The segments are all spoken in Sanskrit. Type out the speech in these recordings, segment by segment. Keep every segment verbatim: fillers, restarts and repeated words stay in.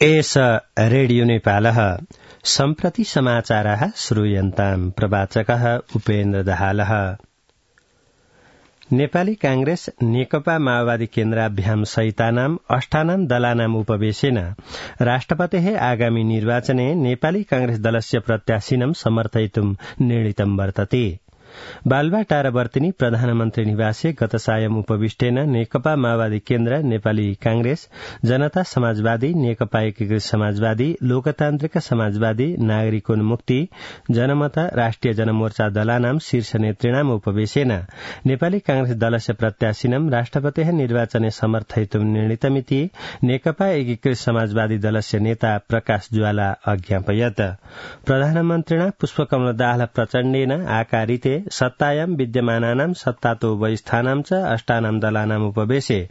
एष रेडियो नेपालः सम्प्रति समाचाराः श्रूयन्ताम्। प्रवाचकः उपेन्द्र दाहालः। नेपाली कांग्रेस नेकपा माओवादी केन्द्राभ्याम सहितानाम् अष्टानाम् दलानाम् उपवेशेन राष्ट्रपतेः आगामी निर्वाचने नेपाली कांग्रेस दलस्य प्रत्याशिनं समर्थयितुम् निर्णीतं वर्तते। बालुवाटारवर्तिनी प्रधानमन्त्री निवासे गत सायं उपविष्टेन नेकपा माओवादी केन्द्र, नेपाली कांग्रेस, जनता समाजवादी, नेकपा एकीकृत समाजवादी, लोकतान्त्रिक समाजवादी, नागरिकोन्मुक्ति, जनमता, राष्ट्रिय जनमोर्चा दलानां शीर्ष नेतृणाम् उपवेशेन नेपाली कांग्रेस दलस्य प्रत्याशिनं राष्ट्रपतेः निर्वाचने समर्थयितुं निर्णीतमिति नेकपा एकीकृत समाजवादी दलस्य नेता प्रकाश ज्वाला अज्ञापयत्। प्रधानमन्त्रिणा पुष्पकमल दाहाल प्रचण्डेन आकारिते सत्तायां विद्यमानानां सत्तातो वैस्थानां च अष्टानां दलानाम् उपवेशे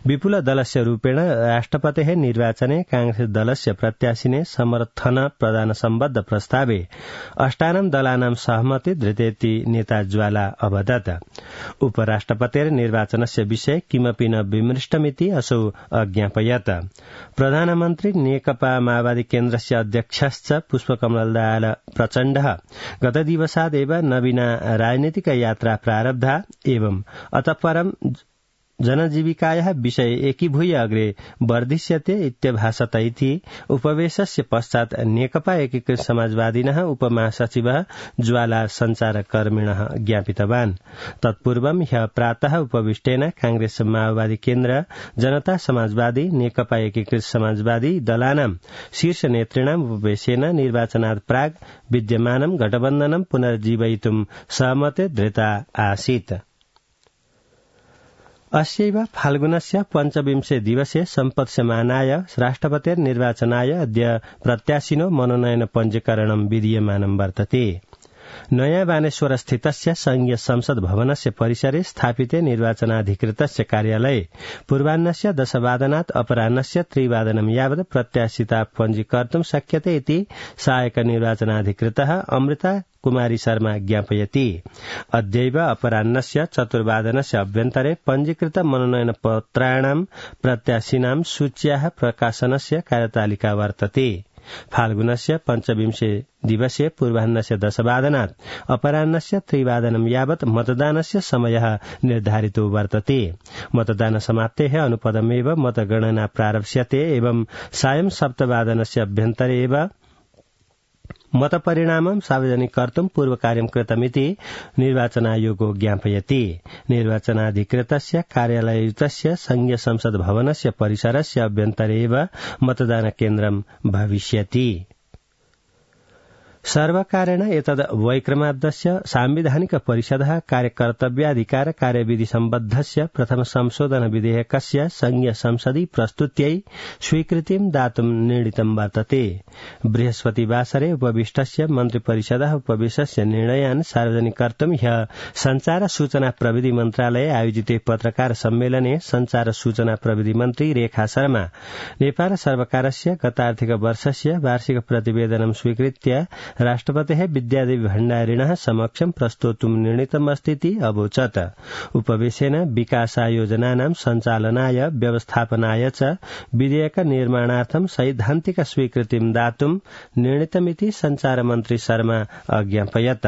विपुल दलस्य रूपेण राष्ट्रपतेः निर्वाचने कांग्रेस दलस्य प्रत्याशिने समर्थन प्रदान सम्बद्ध प्रस्तावे अष्टानां दलानां सहमति धृतेति नेता ज्वाला अवदत्। उपराष्ट्रपतेर निर्वाचनस्य विषय किमपि न विमृष्टमिति असौ अज्ञापयत्। प्रधानमन्त्री नेकपा माओवादी केन्द्रस्य अध्यक्षश्च पुष्पकमल दाहाल प्रचण्डः गतदिवसादेव नवीना राजनीतिक यात्रा प्रारब्धा एवं अतः परं जनजीविकायाः विषय एकीभूय अग्रे वर्धिष्यते इत्यभासत इति उपवेशस्य पश्चात् नेकपा एकीकृत समाजवादिनः उपमहासचिवः ज्वाला सञ्चारकर्मिणः ज्ञापितवान्। तत्पूर्वं ह्यः प्रातः उपविष्टेन कांग्रेस माओवादी केन्द्र, जनता समाजवादी, नेकपा एकीकृत समाजवादी दलानां शीर्ष नेतृणाम् उपवेशेन निर्वाचनात् प्राग् विद्यमानं गठबन्धनं पुनर्जीवयितुं सहमते धृता आसीत्। अस्यैव फाल्गुनस्य पञ्चविंशे दिवसे सम्पत्स्यमानाय राष्ट्रपतेर निर्वाचनाय अद्य प्रत्याशिनो मनोनयन पञ्जीकरणं विधीयमानं वर्तते। नयाँ बानेश्वर स्थितस्य संघीय संसद भवनस्य परिसरे स्थापिते निर्वाचनाधिकृतस्य कार्यालये पूर्वाह्नस्य दशवादनात् अपराह्नस्य त्रिवादनं यावत् प्रत्याशिता पञ्जीकर्तुं शक्यते इति सहायक निर्वाचनाधिकृतः अमृता कुमारी शर्मा ज्ञापयति। अद्यैव अपराह्नस्य चतुर्वादनस्य अभ्यन्तरे पञ्जीकृत मनोनयन पत्राणां प्रत्याशिनां सूच्याः प्रकाशनस्य कार्यतालिका वर्तते। फाल्गुनस्य पञ्चविंशे दिवसे पूर्वाह्नस्य दशवादनात् अपराह्नस्य त्रिवादनं यावत् मतदानस्य समयः निर्धारितो वर्तते। मतदान समाप्तेः अनुपदमेव मतगणना प्रारप्स्यते एवं सायं सप्तवादनस्य अभ्यन्तरे एव मतपरिणामं सार्वजनिक कर्तुं पूर्वकार्यं कृतमिति निर्वाचनायोगो ज्ञापयति। निर्वाचनाधिकृतस्य कार्यालययुतस्य संघीय संसद भवनस्य परिसरस्य अभ्यन्तरे एव मतदान केन्द्रं भविष्यति। सर्वकारेण एतद् वैक्रमाब्दस्य सांविधानिक परिषदः कार्यकर्तव्याधिकार कार्यविधि सम्बद्धस्य प्रथम संशोधन विधेयकस्य संघीय संसदि प्रस्तुत्यै स्वीकृतिं दातुं निर्णीतं वर्तते। बृहस्पतिवासरे उपविष्टस्य मन्त्रिपरिषदः उपवेशस्य निर्णयान् सार्वजनिक कर्तुं ह्यः संचार सूचना प्रविधि मन्त्रालये आयोजिते पत्रकार सम्मेलने संचार सूचना प्रविधि मन्त्री रेखा शर्मा नेपाल सर्वकारस्य गतार्थिक वर्षस्य वार्षिक प्रतिवेदनं स्वीकृत्य राष्ट्रपतेः विद्यादेवी भण्डारिणः समक्षं प्रस्तोतुं निर्णीतमस्तीति अवोचत्। उपवेशेन विकासायोजनानां सञ्चालनाय व्यवस्थापनाय च विधेयक निर्माणार्थं सैद्धान्तिक स्वीकृतिं दातुं निर्णीतमिति संचारमन्त्री शर्मा अज्ञापयत्।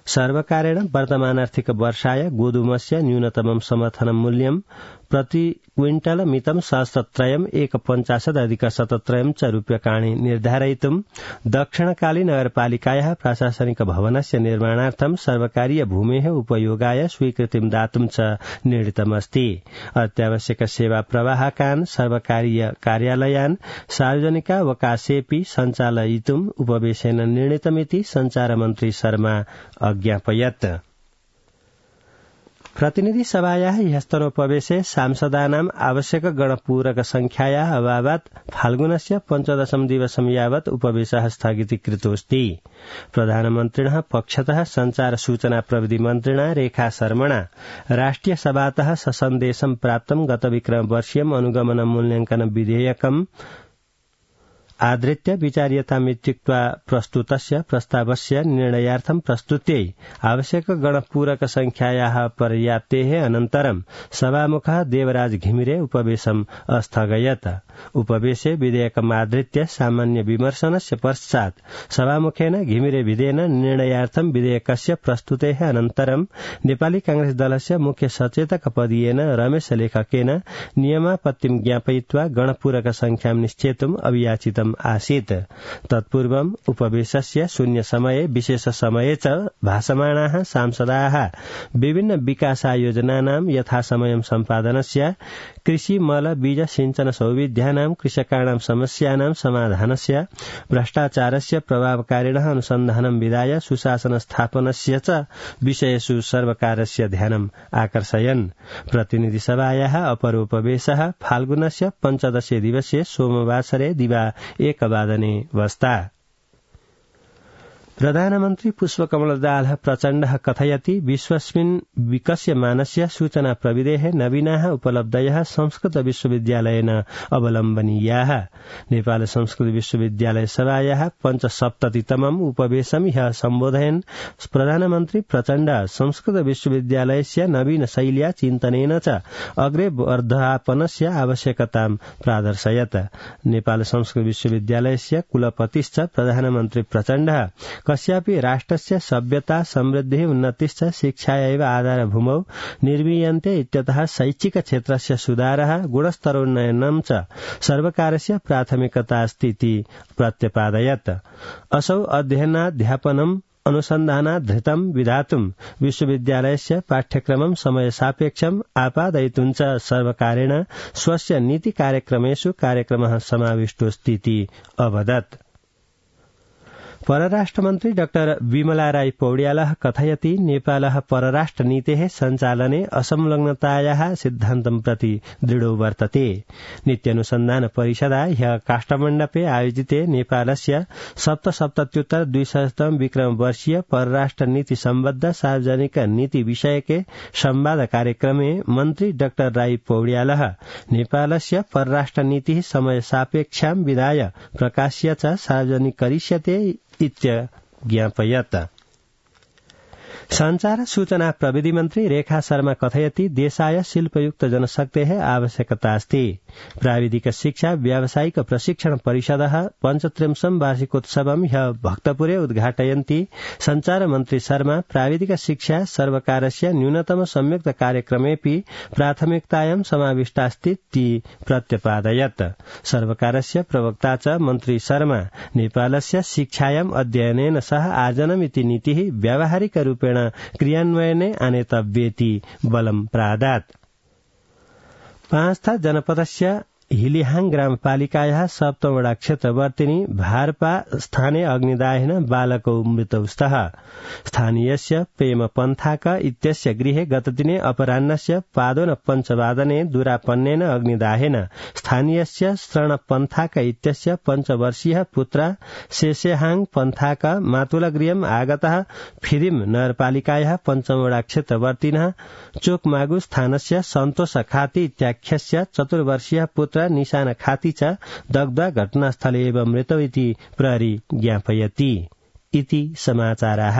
सर्वकारेण वर्तमानार्थिक वर्षाय गोधूमस्य न्यूनतमं समर्थन मूल्यं प्रति क्विंटल मितं सहस्त्रत्रयम् एक पञ्चाशदधिक शतत्रयम् च रूप्यकाणि निर्धारयितुं दक्षिणकाली नगरपालिकायाः प्रशासनिक भवनस्य निर्माणार्थं सर्वकारीय भूमेः उपयोगाय स्वीकृतिं दातुं च निर्णीतमस्ति। अत्यावश्यक सेवा प्रवाहकान् सर्वकारीय कार्यालयान् सार्वजनिकावकाशेऽपि सञ्चालयितुं उपवेशेन निर्णीतमिति संचारमन्त्री शर्मा अज्ञापयत्। प्रतिनिधि सभायाः ह्यस्तनोपवेशे सांसदानाम् आवश्यक गणपूरक संख्यायाः अभावात् फाल्गुनस्य पञ्चदशं दिवसं यावत् उपवेशः स्थगितीकृतोऽस्ति। प्रधानमन्त्रिणः पक्षतः संचार सूचना प्रविधि मन्त्रिणा रेखा शर्मणा राष्ट्रिय सभातः ससन्देशं प्राप्तं गत विक्रम वर्षीयम् अनुगमन मूल्याङ्कन विधेयकम् आदृत्य विचार्यतामित्युक्त्वा प्रस्तुतस्य प्रस्तावस्य निर्णयार्थं प्रस्तुत्यै आवश्यक गणपूरक संख्यायाः पर्याप्तेः अनन्तरं सभामुखः देवराज घिमिरे उपवेशम् अस्थगयत। उपवेशे विधेयकमादृत्य सामान्य विमर्शनस्य पश्चात् सभामुखेन घिमिरे विधेयन निर्णयार्थं विधेयकस्य प्रस्तुतेः अनन्तरं नेपाली कांग्रेस दलस्य मुख्य सचेतक पदीयेन रमेश लेखकेन नियमापत्तिं ज्ञापयित्वा गणपूरक संख्यां निश्चेतुम् अभियाचितम् आसीत्। तत्पूर्वम् उपवेशस्य शून्य समये विशेष समये च भाषमाणाः सांसदाः विभिन्न विकासायोजनानां यथासमयं सम्पादनस्य, कृषि मल बीज सिंचन सौविध्यानां कृषकाणां समस्यानां समाधानस्य, भ्रष्टाचारस्य प्रभावकारिणः अनुसन्धानं विधाय सुशासन स्थापनस्य च विषयेषु सर्वकारस्य ध्यानम् आकर्षयन्। प्रतिनिधिसभायाः अपरोपवेशः फाल्गुनस्य पञ्चदशे दिवसे सोमवासरे दिवा एकवादने वस्ता। प्रधानमन्त्री पुष्पकमल दाहाल प्रचण्डः कथयति विश्वस्मिन् विकस्यमानस्य सूचना प्रविधेः नवीनाः उपलब्धयः संस्कृत विश्वविद्यालयेन अवलम्बनीयाः। नेपाल संस्कृत विश्वविद्यालय सभायाः पञ्चसप्ततितमम् उपवेशम् ह्यः सम्बोधयन् प्रधानमन्त्री प्रचण्ड संस्कृत विश्वविद्यालयस्य नवीन शैल्या चिन्तनेन च अग्रे वर्धापनस्य आवश्यकतां प्रादर्शयत्। नेपाल संस्कृत विश्वविद्यालयस्य कुलपतिश्च प्रधानमन्त्री प्रचण्डः कस्यापि राष्ट्रस्य सभ्यता समृद्धिः उन्नतिश्च शिक्षायैव आधारभूमौ निर्मीयन्ते इत्यतः शैक्षिक क्षेत्रस्य सुधारः गुणस्तरोन्नयनं च सर्वकारस्य प्राथमिकतास्ति इति प्रत्यपादयत्। असौ अध्ययनाध्यापनम् अनुसन्धानाधृतं विधातुं विश्वविद्यालयस्य पाठ्यक्रमं समयसापेक्षम् आपादयितुं च सर्वकारेण स्वस्य नीति कार्यक्रमेषु कार्यक्रमः समाविष्टोऽस्ति इति अवदत्। परराष्ट्रमन्त्री डाक्टर विमला राई पौड्यालः कथयति नेपालः परराष्ट्रनीतेः सञ्चालने असंलग्नतायाः सिद्धान्तं प्रति दृढो वर्तते। नीत्यनुसन्धान परिषदा ह्यः काष्ठमण्डपे आयोजिते नेपालस्य सप्तसप्तत्युत्तर द्विशततम विक्रम वर्षीय परराष्ट्र नीति सम्बद्ध सार्वजनिक नीति विषयके संवाद कार्यक्रमे मन्त्री डाक्टर राई पौड्यालः नेपालस्य परराष्ट्र नीतिः समय सापेक्षां विधाय प्रकाश्य च सार्वजनिक करिष्यते इत्यज्ञापयत्। संचार सूचना प्रविधि मन्त्री रेखा शर्मा कथयति देशाय शिल्पयुक्त जनशक्तेः आवश्यकता अस्ति। प्राविधिक शिक्षा व्यावसायिक प्रशिक्षण परिषदः पञ्चत्रिंशम् वार्षिकोत्सवं ह्यः भक्तपुरे उद्घाटयन्ति संचार मन्त्री शर्मा प्राविधिक शिक्षा सर्वकारस्य न्यूनतम संयुक्त कार्यक्रमेऽपि प्राथमिकतायां समाविष्टास्ति प्रत्यपादयत्। सर्वकारस्य प्रवक्ता च मन्त्री शर्मा नेपालस्य शिक्षायाम् अध्ययनेन सह आर्जनमिति नीतिः व्यावहारिक रूपेण क्रियान्वयने आनेतव्येति बलं प्रादात्। पाँचथा जनपदस्य हिलिहाङ ग्रामपालिकायाः सप्तमवटा क्षेत्रवर्तिनी भारपा स्थाने अग्निदाहेन बालकौ मृतौ स्तः। स्थानीयस्य प्रेम पन्थाक इत्यस्य गृहे गतदिने अपराह्नस्य पादोन पञ्चवादने दुरापन्नेन अग्निदाहेन स्थानीयस्य शरण पन्थाक इत्यस्य पञ्चवर्षीयः पुत्र शेषेहाङ पन्थाक मातुलगृहम् आगतः फिदिम नगरपालिकायाः पञ्चमवटा क्षेत्रवर्तिनः चोकमागु स्थानस्य सन्तोष खाती इत्याख्यस्य चतुर्वर्षीयः पुत्र निशान खाती च दग्धा घटनास्थले एव मृतौ इति प्रहरी ज्ञापयति। इति समाचाराः।